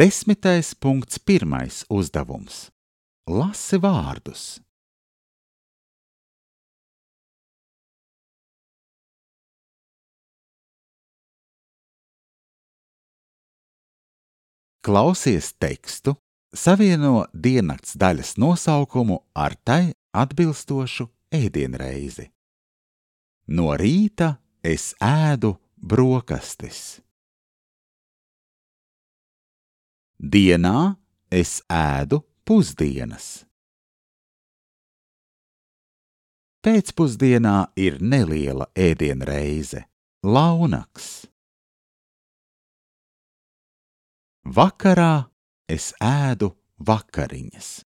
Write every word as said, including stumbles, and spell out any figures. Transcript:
Desmitais punkts pirmais uzdevums. Lasi vārdus. Klausies tekstu, savieno diennakts daļas nosaukumu ar tai atbilstošu ēdienreizi. No rīta es ēdu brokastis. Dienā es ēdu pusdienas. Pēcpusdienā ir neliela ēdienreize – launaks. Vakarā es ēdu vakariņas.